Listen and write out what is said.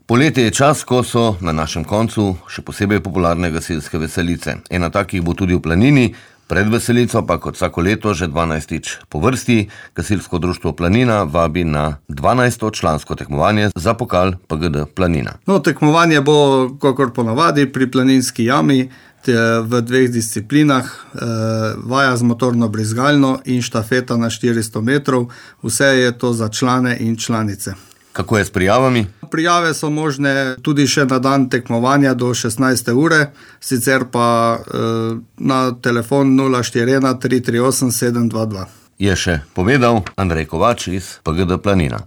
Poletje je čas, ko so na našem koncu še posebej popularne gasilske veselice. Ena takih bo tudi v Planini, pred veselico pa kot vsako leto že 12. po vrsti Gasilsko društvo Planina vabi na 12. člansko tekmovanje za pokal PGD Planina. Tekmovanje bo, kakor ponavadi, pri Planinski jami v 2 disciplinah, vaja z motorno brizgalno in štafeta na 400 metrov. Vse je to za člane in članice. Kako je s prijavami? Prijave so možne tudi še na dan tekmovanja do 16. ure, sicer pa na telefon 041 338 722. Je še povedal Andrej Kovač iz PGD Planina.